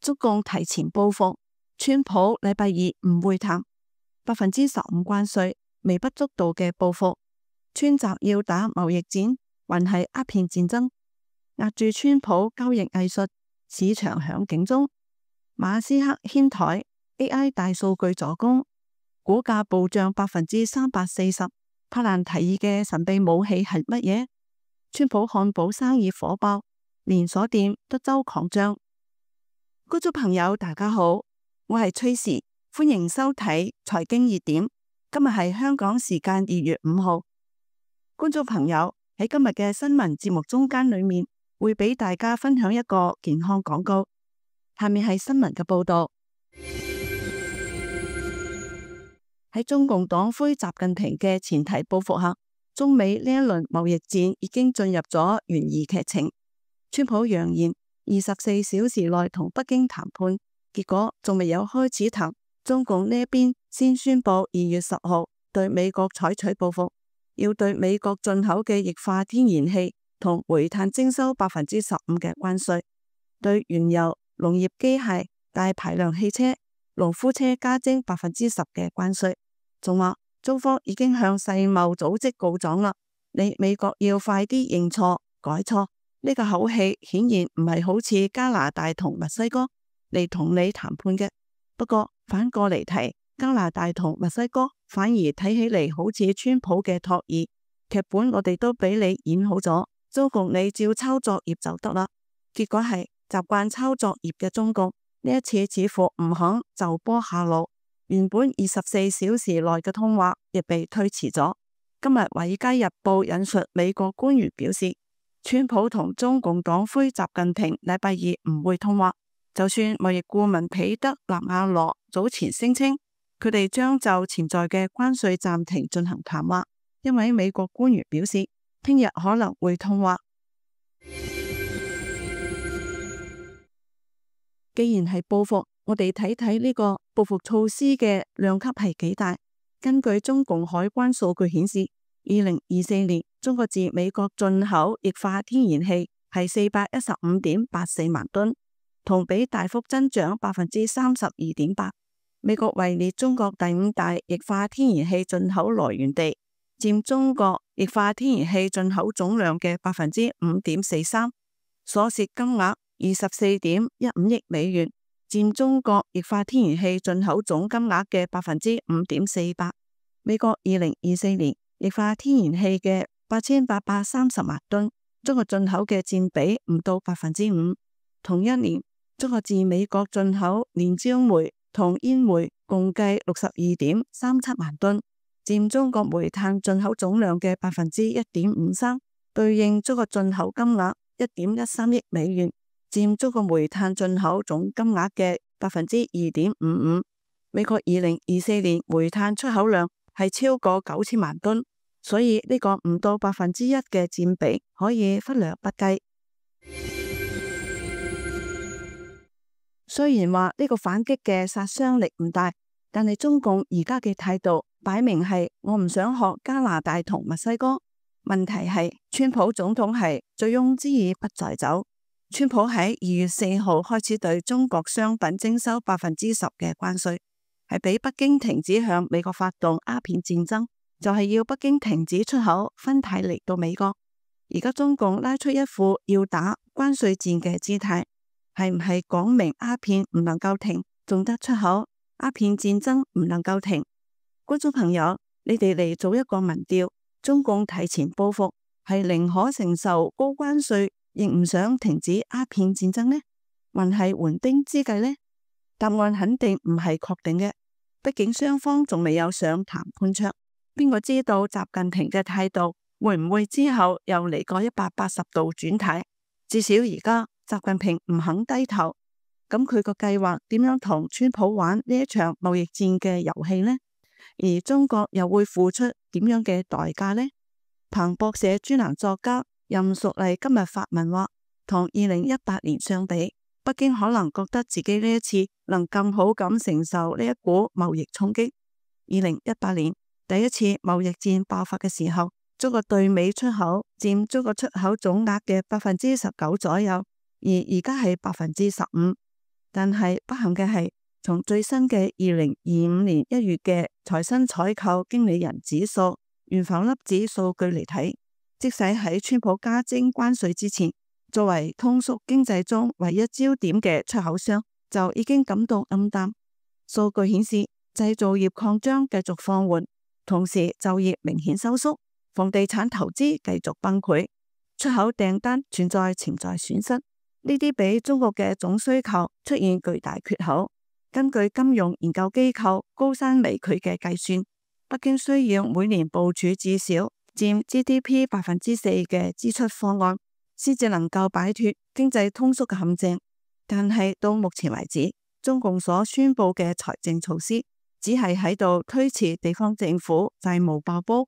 中共提前報復，川普禮拜二唔會談，15%關稅，微不足道嘅報復。川習要打貿易戰，還係鴉片戰爭？壓住川普交易藝術，市場響警鐘。馬斯克掀台 ，AI 大數據助攻，股價暴漲340%。柏蘭提議嘅神秘武器係乜嘢？川普漢堡生意火爆，連鎖店德州狂漲。觀眾朋友大家好，我係崔時，歡迎收睇財經熱點。今日係香港時間2月5號。觀眾朋友喺今日嘅新聞節目中間裏面，會俾大家分享一個健康廣告。下面係新聞嘅報道。喺中共黨魁習近平嘅前提報復下，中美呢一輪貿易戰已經進入咗懸疑劇情。川普揚言24小時內同北京談判，結果仲未有開始談，中共呢一邊先宣布2月10號對美國採取報復，要對美國進口嘅液化天然氣同煤炭徵收15%嘅關稅，對原油、農業機械、大排量汽車、農夫車加徵10%嘅關稅。仲話中方已經向世貿組織告狀啦，你美國要快啲認錯改錯。呢個口氣顯然唔係好似加拿大同墨西哥嚟同你談判嘅。不過反過嚟提，加拿大同墨西哥反而睇起嚟好似川普嘅托兒劇本，我哋都俾你演好咗，中共你照抄作業就得啦。結果係習慣抄作業嘅中共呢一次似乎唔肯就坡下路，原本24小時內嘅通話亦被推遲咗。今日《華爾街日報》引述美國官員表示，川普同中共黨魁習近平禮拜二唔會通話，就算貿易顧問彼得納瓦羅早前聲稱佢哋將就潛在嘅關稅暫停進行談話，因為美國官員表示聽日可能會通話。既然係報復，我哋睇睇呢個報復措施嘅量級係幾大。根據中共海關數據顯示，2024年中國自美國進口液化天然氣係415.84萬噸，同比大幅增長32.8%。美國位列中國第5大液化天然氣進口來源地，佔中國液化天然氣進口總量嘅5.43%，所涉金額24.15億美元，佔中國液化天然氣進口總金額嘅5.48%。美國2024年液化天然氣嘅8830萬噸，中國進口嘅佔比唔到5%。同一年，中國自美國進口煉焦煤同煙煤共計62.37萬噸，佔中國煤炭進口總量嘅1.53%，對應中國進口金額1.13億美元，佔中國煤炭進口總金額嘅2.55%。美國2024年煤炭出口量係超過9000萬噸，所以呢個唔到1%嘅佔比可以忽略不計。雖然話呢個反擊嘅殺傷力唔大，但係中共而家嘅態度擺明係我唔想學加拿大同墨西哥。問題係川普總統係醉翁之意不在酒。川普喺2月4號開始對中國商品徵收10%嘅關稅，係俾北京停止向美國發動鴉片戰爭，就係要北京停止出口芬太尼到美國。而家中共拉出一副要打關稅戰嘅姿態，係唔係講明鴉片唔能夠停，仲得出口？鴉片戰爭唔能夠停。觀眾朋友，你哋嚟做一個民調，中共提前報復，係寧可承受高關稅，亦唔想停止鴉片戰爭呢？還係緩兵之計呢？答案肯定唔係確定嘅，畢竟雙方仲未有上談判桌。邊個知道習近平嘅態度會唔會之後又嚟個180度轉態？至少而家習近平唔肯低頭，咁佢個計劃點樣同川普玩呢一場貿易戰嘅遊戲呢？而中國又會付出點樣嘅代價呢？彭博社專欄作家任淑麗今日發文話，同2018年相比，北京可能覺得自己呢一次能更好咁承受呢一股貿易衝擊。2018年第一次貿易戰爆發嘅時候，中國對美出口佔中國出口總額嘅19%左右，而家係15%。但係不幸嘅係，從最新嘅2025年1月嘅財新採購經理人指數原浮粒子數據嚟睇，即使喺川普加徵關稅之前，作為通縮經濟中唯一焦點嘅出口商就已經感到暗淡。數據顯示，製造業擴張繼續放緩，同時就業明顯收縮，房地產投資繼續崩潰，出口訂單存在潛在損失。呢啲比中國嘅總需求出現巨大缺口。根據金融研究機構高山微距嘅計算，北京需要每年部署至少佔 GDP 4% 嘅支出方案，先至能夠擺脫經濟通縮嘅陷阱。但係到目前為止，中共所宣布嘅財政措施只係喺度推遲地方政府債務爆煲，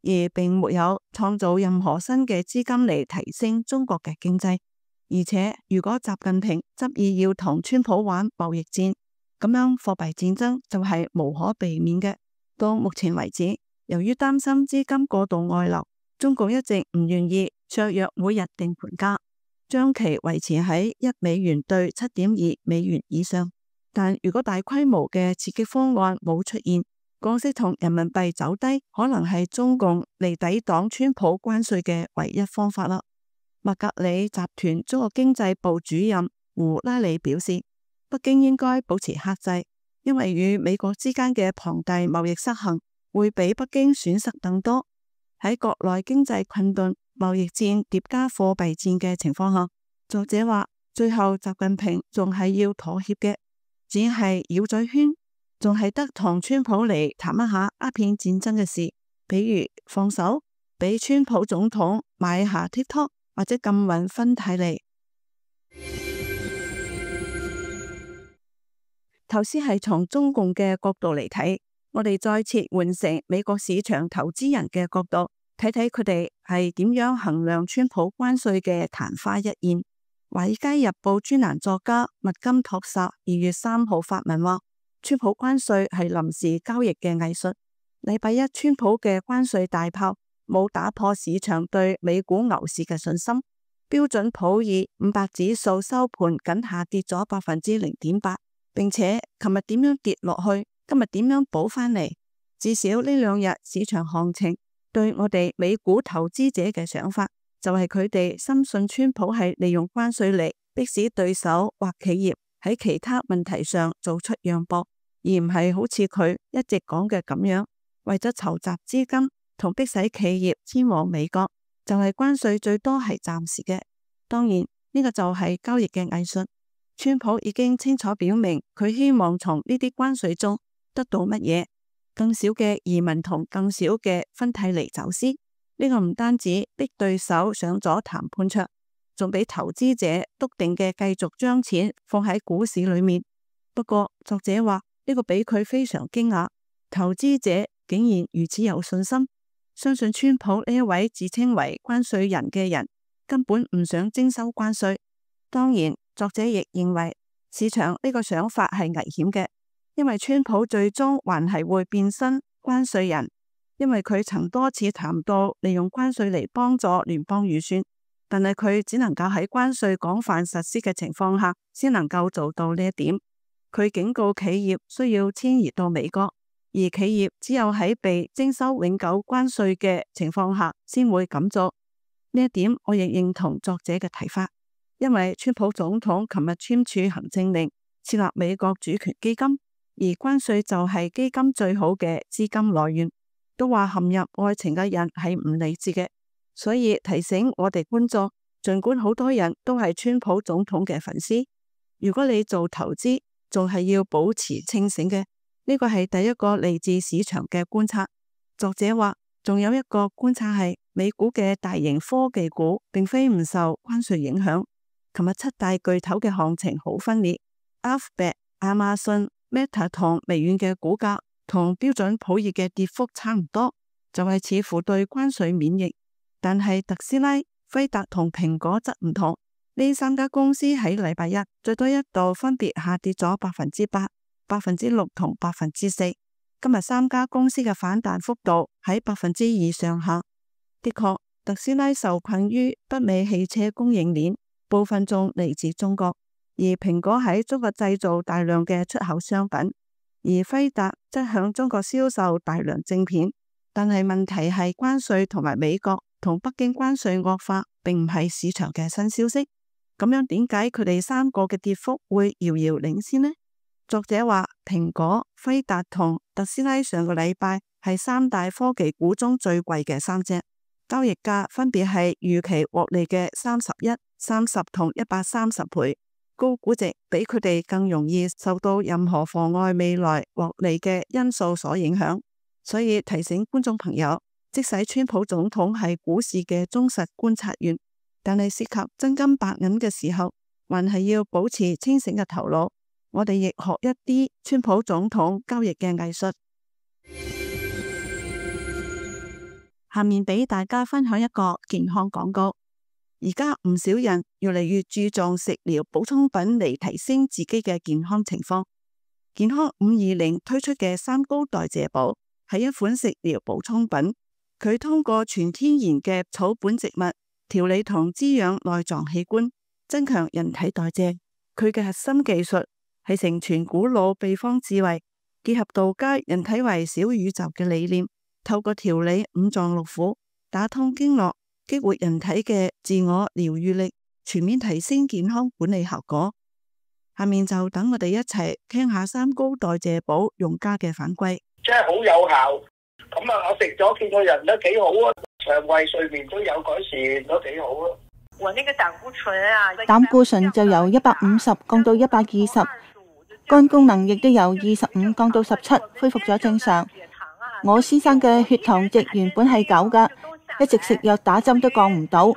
而並沒有創造任何新嘅資金嚟提升中國嘅經濟。而且如果習近平執意要同川普玩貿易戰，咁樣貨幣戰爭就係無可避免嘅。到目前為止，由於擔心資金過度外流，中共一直唔願意削弱每日定盤價，將其維持喺$1對7.2美元以上。但如果大規模嘅刺激方案冇出現，降息同人民幣走低，可能係中共嚟抵擋川普關稅嘅唯一方法啦。麥格里集團中國經濟部主任胡拉里表示，北京應該保持克制，因為與美國之間嘅龐大貿易失衡會比北京損失更多。喺國內經濟困頓、貿易戰疊加貨幣戰嘅情況下，作者話最後習近平仲係要妥協嘅，只係繞嘴圈，仲係得同川普嚟談一下鴉片戰爭嘅事，比如放手俾川普總統買下 TikTok 或者禁運芬太尼。頭先係從中共嘅角度嚟睇，我哋再次換成美國市場投資人嘅角度，睇睇佢哋係點樣衡量川普關稅嘅曇花一現。華爾街日報專欄作家麥金托薩2月3號發文話，川普關稅係臨時交易嘅藝術。禮拜一川普嘅關稅大炮冇打破市場對美股牛市嘅信心，標準普爾500指數收盤僅下跌咗0.8%，並且琴日點樣跌落去，今日點樣補返嚟？至少呢2日市場行情對我哋美股投資者嘅想法，就係佢哋深信川普係利用關稅嚟迫使對手或企業喺其他問題上做出讓步，而唔係好似佢一直講嘅咁樣，為咗籌集資金同迫使企業遷往美國，就係關稅最多係暫時嘅。當然呢個就係交易嘅藝術。川普已經清楚表明佢希望從呢啲關稅中得到乜嘢？更少嘅移民同更少嘅芬太尼走私。呢個唔單止逼對手上咗談判桌，仲俾投資者篤定嘅繼續將錢放喺股市裏面。不過作者話呢個俾佢非常驚訝，投資者竟然如此有信心，相信川普呢一位自稱為關稅人嘅人根本唔想徵收關稅。當然，作者亦認為市場呢個想法係危險嘅，因為川普最終還係會變身關稅人。因為佢曾多次談到利用關稅嚟幫助聯邦預算，但係佢只能夠喺關稅廣泛實施嘅情況下先能夠做到呢一點。佢警告企業需要遷移到美國，而企業只有喺被徵收永久關稅嘅情況下先會咁做。呢一點我亦認同作者嘅睇法，因為川普總統琴日簽署行政令設立美國主權基金，而關稅就係基金最好嘅資金來源。都話陷入愛情嘅人係唔理智嘅，所以提醒我哋觀眾，儘管好多人都係川普總統嘅粉絲，如果你做投資，仲係要保持清醒嘅。呢個係第一個嚟自市場嘅觀察。作者話，仲有一個觀察係美股嘅大型科技股並非唔受關稅影響。琴日7大巨頭嘅行情好分裂，Alphabet、亞馬遜、Meta 同微軟嘅股價同標準普爾嘅跌幅差唔多，就係似乎對關稅免疫。但係特斯拉、輝達同蘋果則唔同，呢3家公司喺禮拜一最多一度分別下跌咗8%、6%同4%。今日3家公司嘅反彈幅度喺2%上下。的確，特斯拉受困於北美汽車供應鏈，部分仲嚟自中國，而蘋果喺中國製造大量嘅出口商品，而輝達則向中國銷售大量晶片。但係問題係關稅同埋美國同北京關稅惡化，並唔係市場嘅新消息。咁樣點解佢哋三個嘅跌幅會遙遙領先呢？作者話，蘋果、輝達同特斯拉上個禮拜係三大科技股中最貴嘅三隻，交易價分別係預期獲利嘅31、30同130倍，高估值比佢哋更容易受到任何妨礙未來獲利嘅因素所影響。所以提醒觀眾朋友，即使川普總統係股市嘅忠實觀察員，但係涉及真金白銀嘅時候，還係要保持清醒嘅頭腦。我哋亦學一啲川普總統交易嘅藝術。下面俾大家分享一個健康廣告。而家唔少人越嚟越注重食療補充品嚟提升自己嘅健康情況。健康520推出嘅三高代謝寶係一款食療補充品，佢通過全天然嘅草本植物調理同滋養內臟器官，增強人體代謝。佢嘅核心技術係承傳古老秘方智慧，結合道家人體為小宇宙嘅理念，透過調理五臟六腑，打通經絡，激活人體嘅自我療愈力，全面提升健康管理效果。下面就等我哋一齊聽下三高代謝寶用家嘅反饋。真係好有效，咁啊，我食咗見個人都幾好啊，腸胃睡眠都有改善，都幾好啊。我那個膽固醇啊，膽固醇就由150降到120，肝功能亦都由25降到17，恢復咗正常。我先生嘅血糖值原本係9噶，一直食藥打針都降唔到，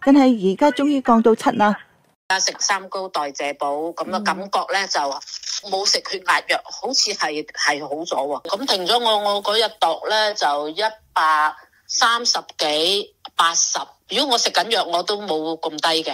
但係而家終於降到7啦。食三高代謝寶咁嘅感覺咧，就冇食血壓藥，好似係好咗喎。咁停咗我嗰日度咧就130幾80。如果我食緊藥，我都冇咁低嘅。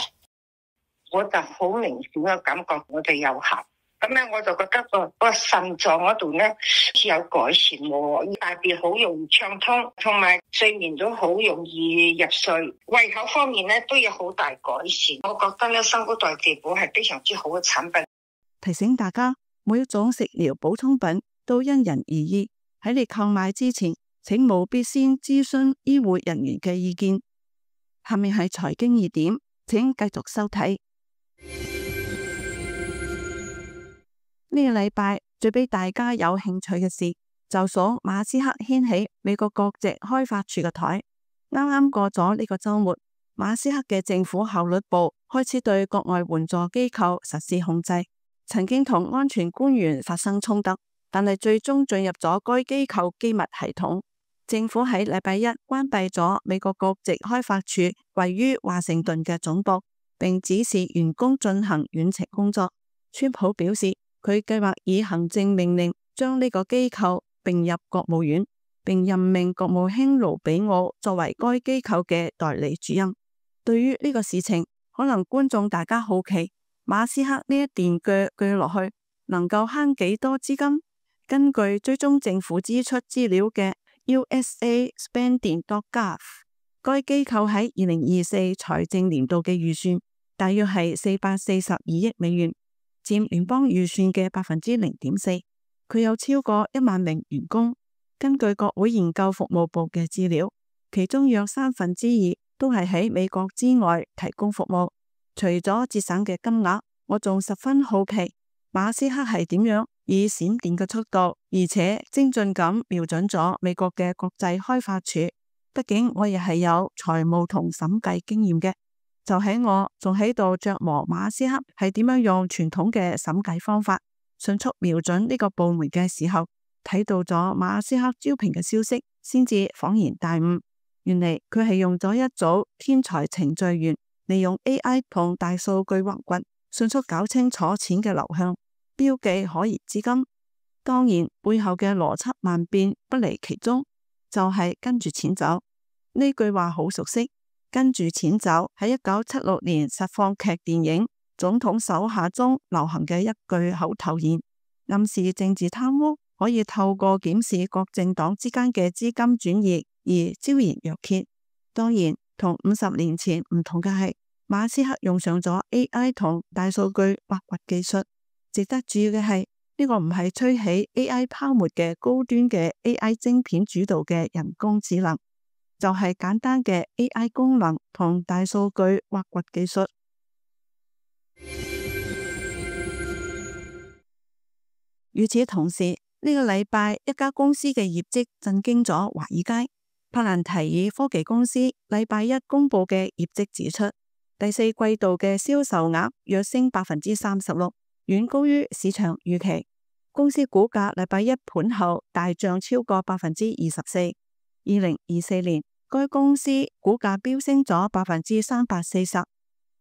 我就好明顯嘅感覺，我哋有效。咁咧我就覺得個腎臟嗰度咧有改善喎，大便好容易暢通，同埋睡眠都好容易入睡。胃口方面咧都有好大改善。我覺得咧三高代謝寶係非常之好嘅產品。提醒大家，每一種食療補充品都因人而異，喺你購買之前，請務必先諮詢醫護人員嘅意見。下面係財經熱點，請繼續收睇。呢個禮拜最俾大家有興趣嘅事，就數馬斯克掀起美國國籍開發處嘅台。啱啱過咗呢個週末，馬斯克嘅政府效率部開始對國外援助機構實施控制，曾經同安全官員發生衝突，但係最終進入咗該機構機密系統。政府喺禮拜一關閉咗美國國籍開發處位於華盛頓嘅總部，並指示員工進行遠程工作。川普表示，佢計劃以行政命令將呢個機構併入國務院，並任命國務卿盧比奧作為該機構嘅代理主任。對於呢個事情，可能觀眾大家好奇，馬斯克呢一段鋸落去能夠慳幾多資金？根據追蹤政府支出資料嘅 USA Spending.gov， 該機構喺2024財政年度嘅預算大約係442億美元。佔聯邦預算嘅0.4%，佢有超過1萬名員工。根據國會研究服務部嘅資料，其中約2/3都係喺美國之外提供服務。除咗節省嘅金額，我仲十分好奇馬斯克係點樣以閃電嘅速度，而且精準咁瞄準咗美國嘅國際開發處。畢竟我亦係有財務同審計經驗嘅。就喺我仲喺度琢磨馬斯克係點樣用傳統嘅審計方法迅速瞄準呢個部門嘅時候，睇到咗馬斯克招聘嘅消息，先至恍然大悟。原嚟佢係用咗一組天才程序員，利用 AI 同大數據挖掘，迅速搞清楚錢嘅流向，標記可疑資金。當然背後嘅邏輯萬變不離其中，就係跟住錢走。呢句話好熟悉。跟住錢走喺1976年實況劇電影《總統手下》中流行嘅一句口頭言，暗示政治貪污可以透過檢視各政黨之間嘅資金轉移而昭然若揭。當然同50年前唔同嘅係，馬斯克用上咗 AI 同大數據挖掘技術。值得注意嘅係，呢個唔係吹起 AI 泡沫嘅高端嘅 AI 晶片主導嘅人工智能，就係簡單嘅 AI 功能同大數據挖掘技術。與此同時，呢個禮拜一家公司嘅業績震驚咗華爾街。帕蘭提爾科技公司禮拜一公佈嘅業績指出，第四季度嘅銷售額躍升36%，遠高於市場預期。公司股價禮拜一盤後大漲超過24%。2024年，該公司股價飆升咗340%。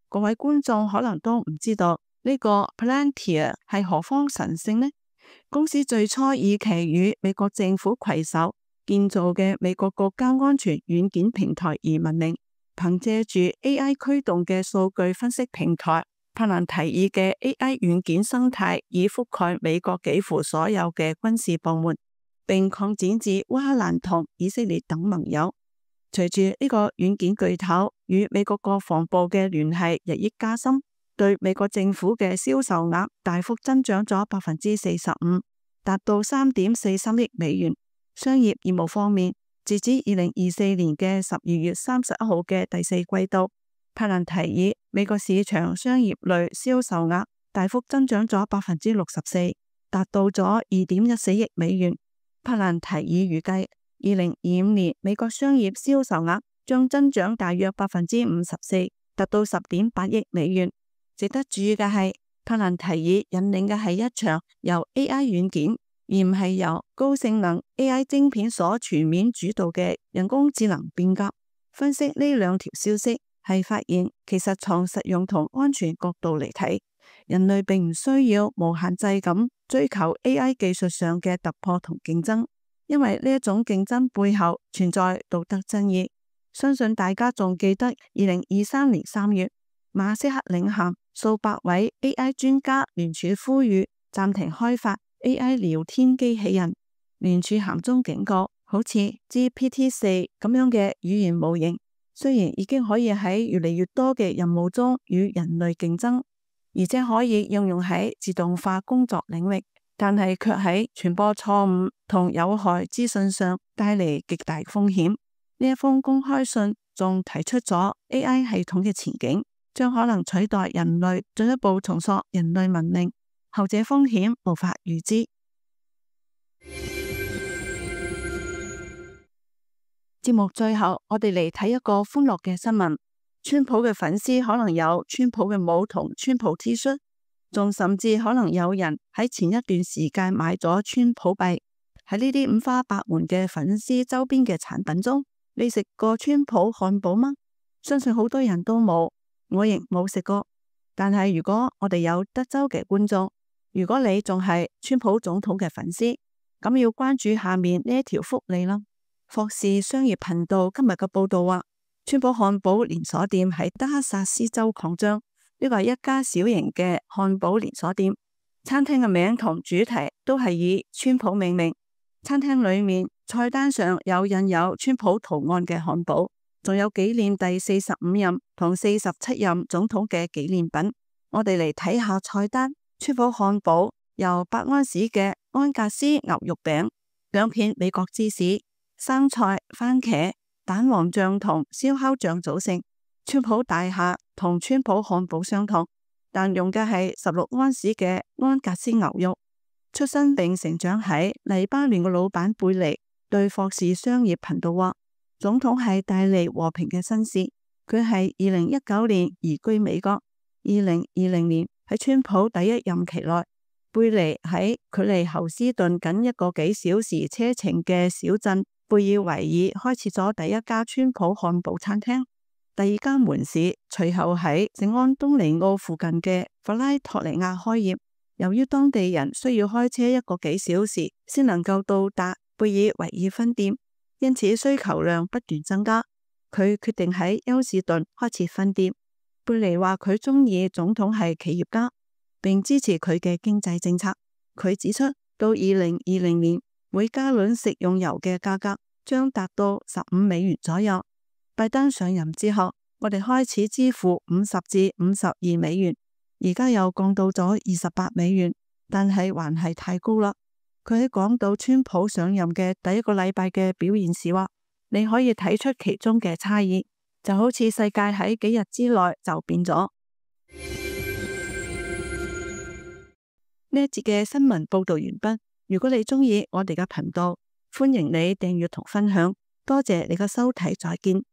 各位觀眾可能都唔知道呢個 Palantir 係何方神聖呢？公司最初以其與美國政府攜手建造嘅美國國家安全軟件平台而聞名。憑借住 AI 驅動嘅數據分析平台，帕蘭提爾嘅 AI 軟件生態已覆蓋美國幾乎所有嘅軍事部門，並擴展至烏克蘭同以色列等盟友。隨住呢個軟件巨頭與美國國防部嘅聯繫日益加深，對美國政府嘅銷售額大幅增長咗45%，達到3.43億美元。商業業務方面，截至2024年嘅12月31號嘅第四季度，帕蘭提爾美國市場商業類銷售額大幅增長咗64%，達到咗2.14億美元。帕蘭提爾預計2025年美國商業銷售額將增長大約54%，達到10.8億美元。值得注意嘅係，帕蘭提爾引領嘅係一場由 AI 軟件而唔係由高性能 AI 晶片所全面主導嘅人工智能變革。分析呢兩條消息係發現，其實從實用同安全角度嚟睇，人類並唔需要無限制咁追求 AI 技術上嘅突破同競爭，因為呢一種競爭背後存在道德爭議。相信大家仲記得2023年3月，馬斯克領銜數百位 AI 專家聯署呼籲暫停開發 AI 聊天機器人。聯署函中警告，好似 GPT-4 咁樣嘅語言模型，雖然已經可以喺越嚟越多嘅任務中與人類競爭，而且可以應用喺自動化工作領域，但係卻喺傳播錯誤同有害資訊上帶嚟極大風險。呢一封公開信仲提出咗 AI 系統嘅前景，將可能取代人類，進一步重塑人類文明，後者風險無法預知。節目最後，我哋嚟睇一個歡樂嘅新聞。川普嘅粉絲可能有川普嘅帽同川普 T 恤，仲甚至可能有人喺前一段時間買咗川普幣。喺呢啲五花八門嘅粉絲周邊嘅產品中，你食過川普漢堡嗎？相信好多人都冇，我亦冇食過。但係如果我哋有德州嘅觀眾，如果你仲係川普總統嘅粉絲，咁要關注下面呢一條福利啦。霍士商業頻道今日嘅報道話，川普漢堡連鎖店喺德克薩斯州擴張，呢個係一家小型嘅漢堡連鎖店。餐廳嘅名同主題都係以川普命名。餐廳裏面菜單上有印有川普圖案嘅漢堡，仲有紀念第45任同47任總統嘅紀念品。我哋嚟睇下菜單。川普漢堡由8安士嘅安格斯牛肉餅、2片美國芝士、生菜、番茄、蛋黃醬同燒烤醬組成。川普大廈同川普漢堡相同，但用嘅係16安士嘅安格斯牛肉。出生並成長喺黎巴嫩嘅老闆貝尼對霍士商業頻道話，總統係帶嚟和平嘅紳士。佢係2019年移居美國，2020年喺川普第一任期內，貝尼喺距離侯斯頓僅1個幾小時車程嘅小鎮貝爾維爾開設咗第一家川普漢堡餐廳，第二間門市隨後喺聖安東尼奧附近嘅弗拉托尼亞開業。由於當地人需要開車1個幾小時先能夠到達貝爾維爾分店，因此需求量不斷增加。佢決定喺休士頓開設分店。貝尼話佢中意總統係企業家，並支持佢嘅經濟政策。佢指出，到2020年，每加侖食用油嘅價格將達到15美元左右。拜登上任之後，我哋開始支付50至52美元，而家又降到咗28美元，但係還係太高啦。佢喺講到川普上任嘅第一個禮拜嘅表現時話，你可以睇出其中嘅差異，就好似世界喺幾日之內就變咗。呢一節嘅新聞報道完畢。如果你鍾意我哋嘅頻道，歡迎你訂閱同分享。多謝你嘅收睇，再見。